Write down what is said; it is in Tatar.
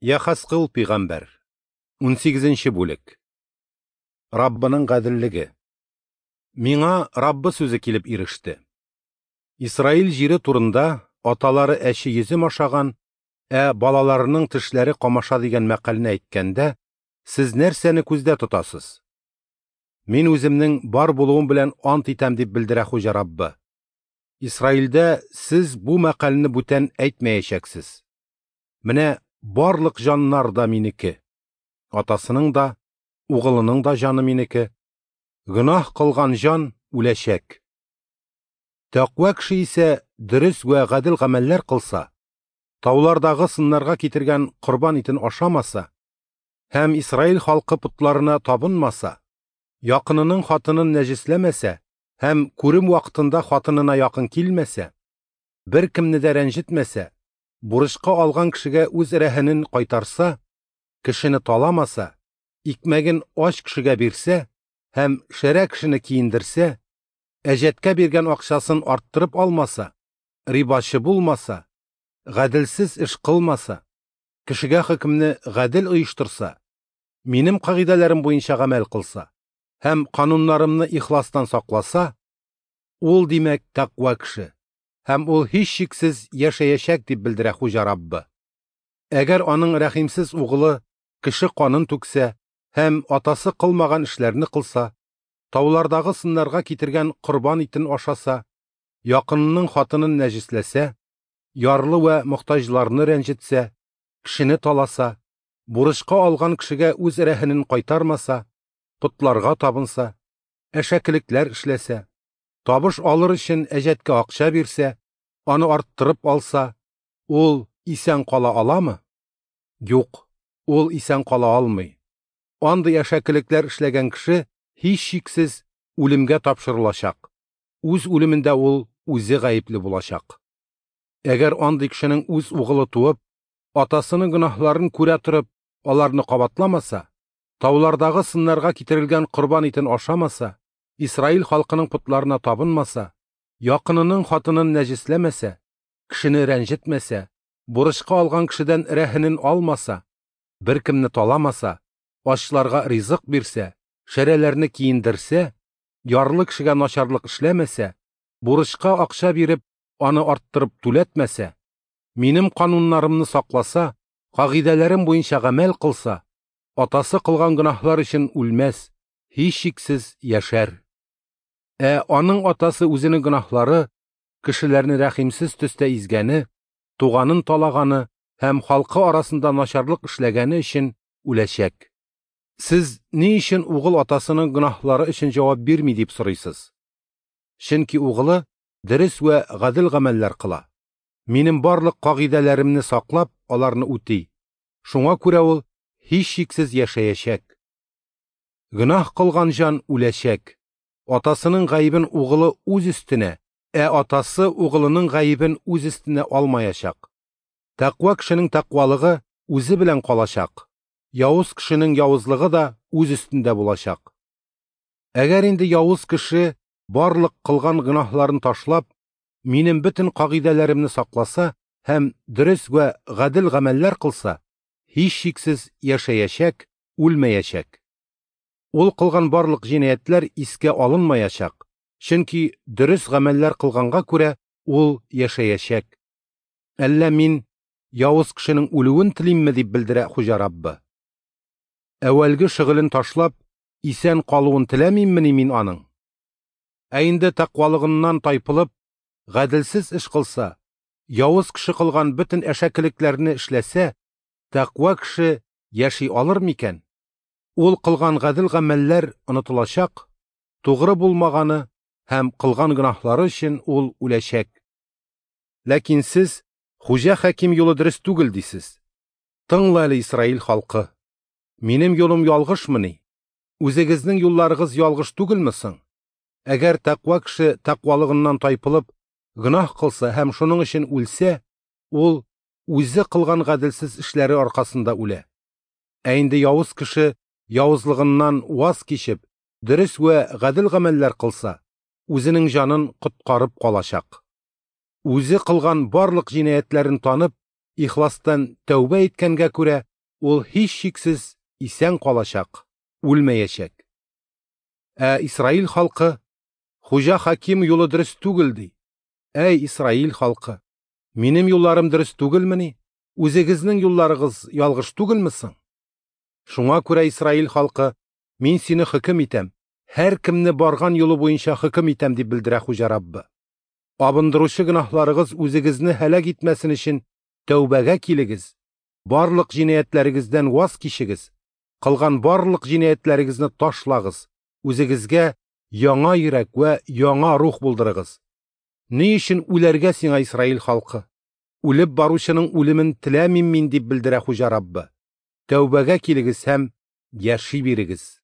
Яхасқыл пигамбәр. 18 бүлек. Раббының гаделлеге. Миңа Раббы сүзе килеп иреште. Исраил җире турында аталары әче йөзем ашаган, ә балаларының тешләре камаша дигән мәкальне әйткәндә, сез нәрсәне күздә тотасыз? Мин үземнең бар булуым белән ант итәм дип белдерә Хуҗа Раббы. Исраилдә сез бу мәкальне бүтән әйтмәячәксез. Менә барлык җаннар да минеке. Атасының да, угылының да җаны минеке. Гөнаһ кылган җан үләчәк. Тәкъва кеше исә дөрес вә гадел гамәлләр кылса, таулардагы сыннарга китергән корбан итен ашамаса һәм Исраил халкы потларына табынмаса, якынының хатынын нәҗесләмәсә һәм күрем вакытында хатынына якын килмәсә, беркемне дә рәнҗетмәсә, бурычка алган кешегә үз рәһенен кайтарса, кешене таламаса, икмәген ач кешегә бирсә һәм шәрә кешене киендерсә, әҗәткә биргән акчасын арттырып алмаса, рибачы булмаса, гаделсез эш кылмаса, кешегә хөкемне гадел оештырса, минем кагыйдәләрем буенча гамәл кылса һәм кануннарымны ихластан сакласа, ул димәк тәкъва кеше һәм ул һичшиксез яшәячәк дип белдерә Хуҗа Раббы. Әгәр аның рәхимсез угылы кеше канын түксә һәм атасы кылмаган эшләрне кылса, таулардагы сыннарга китергән корбан итен ашаса, якынының хатынын нәҗесләсә, ярлы вә мохтаҗларны рәнҗетсә, кешене таласа, бурычка алган кешегә үз рәһенен кайтармаса, потларга табынса, әшәкелекләр эшләсә, табыш алыр өчен әҗәткә акча бирсә, аны арттырып алса, ул исән кала аламы? Юк, ул исән кала алмый. Андый әшәкелекләр эшләгән кеше һичшиксез үлемгә тапшырылачак. Үз үлемендә ул үзе гаепле булачак. Әгәр андый кешенең үз угылы туып, атасының гөнаһларын күрә торып, аларны кабатламаса, таулардагы сыннарга китерелгән корбан итен ашамаса, Исраил халкының потларына табынмаса, якынының хатынын нәҗесләмәсә, кешене рәнҗетмәсә, бурычка алган кешедән рәһенен алмаса, беркемне таламаса, ачларга ризык бирсә, шәрәләрне киендерсә, ярлы кешегә начарлык эшләмәсә, бурычка акча биреп, аны арттырып түләтмәсә, минем кануннарымны сакласа, кагыйдәләрем буенча гамәл кылса, атасы кылган гөнаһлар өчен үлмәс, һичшиксез яшәр. Ә аның атасы үзенең гөнаһлары, кешеләрне рәхимсез төстә изгәне, туганын талаганы һәм халкы арасында начарлык эшләгәне өчен үләчәк. Сез ни өчен угыл атасының гөнаһлары өчен җавап бирми дип сорыйсыз? Чөнки угылы дөрес вә гадел гамәлләр кыла. Минем барлык кагыйдәләремне саклап, аларны үти. Шуңа күрә ул һичшиксез яшәячәк. Гөнаһ кылган җан үләчәк. Атасының гаебен угылы үз өстенә, ә атасы угылының гаебен үз өстенә алмаячак. Тәкъва кешенең тәкъвалыгы үзе белән калачак. Явыз кешенең явызлыгы да үз өстендә булачак. Әгәр инде явыз кеше барлык кылган гөнаһларын ташлап, минем бөтен кагыйдәләремне сакласа һәм дөрес вә гадел гамәлләр кылса, һичшиксез яшәячәк, үлмәячәк. Ул кылган барлык җинаятьләр искә алынмаячак, чөнки дөрес гамәлләр кылганга күрә ул яшәячәк. Әллә мин явыз кешенең үлүен телимме дип белдерә Хуҗа Раббы. Әүвәлге шөгылен ташлап, исән калуын теләмиммени мин аның? Ә инде тәкъвалыгыннан тайпылып, гаделсез эш кылса, явыз кеше кылган бөтен әшәкелекләрне эшләсә, тәкъва кеше яши алыр микән? Ул кылган гадел гамәлләр онытылачак, тугры булмаганы һәм кылган гөнаһлары өчен ул үләчәк. Ләкин сез Хуҗа хаким юлы дөрес түгел дисез. Тыңла әле, Исраил халкы. Минем юлым ялгышмыни? Үзегезнең юлларыгыз ялгыш түгелме соң? Әгәр тәкъва кеше тәкъвалыгыннан тайпылып, гөнаһ кылса һәм шуның өчен үлсә, ул үзе кылган гаделсез эшләре аркасында үлә. Ә инде явыз кеше явызлыгыннан ваз кичеп, дөрес вә гадел гамәлләр кылса, үзенең җанын коткарып калачак. Үзе кылган барлык җинаятьләрен танып, ихластан тәүбә иткәнгә күрә, Ул һичшиксез исән калачак, үлмәячәк. Ә Исраил халкы: Хуҗа хаким юлы дөрес түгел, ди. Әй, Исраил халкы! Минем юлларым дөрес түгелмени? Үзегезнең юлларыгыз ялгыш түгелме соң? Шуңа күрә, Исраил халкы, мин сине хөкем итәм, һәркемне барган юлы буенча хөкем итәм, дип белдерә Хуҗа Раббы. Абындыручы гөнаһларыгыз үзегезне һәлак итмәсен өчен тәүбәгә килегез, барлык җинаятьләрегездән ваз кичегез, кылган барлык җинаятьләрегезне ташлагыз, үзегезгә яңа йөрәк вә яңа рух булдырыгыз. Ни өчен үләргә сиңа, Исраил халкы? Үлеп баручының үлемен теләмим мин, дип белдерә Хуҗа Раббы. Тәүбәгә килегез һәм яши бирегез.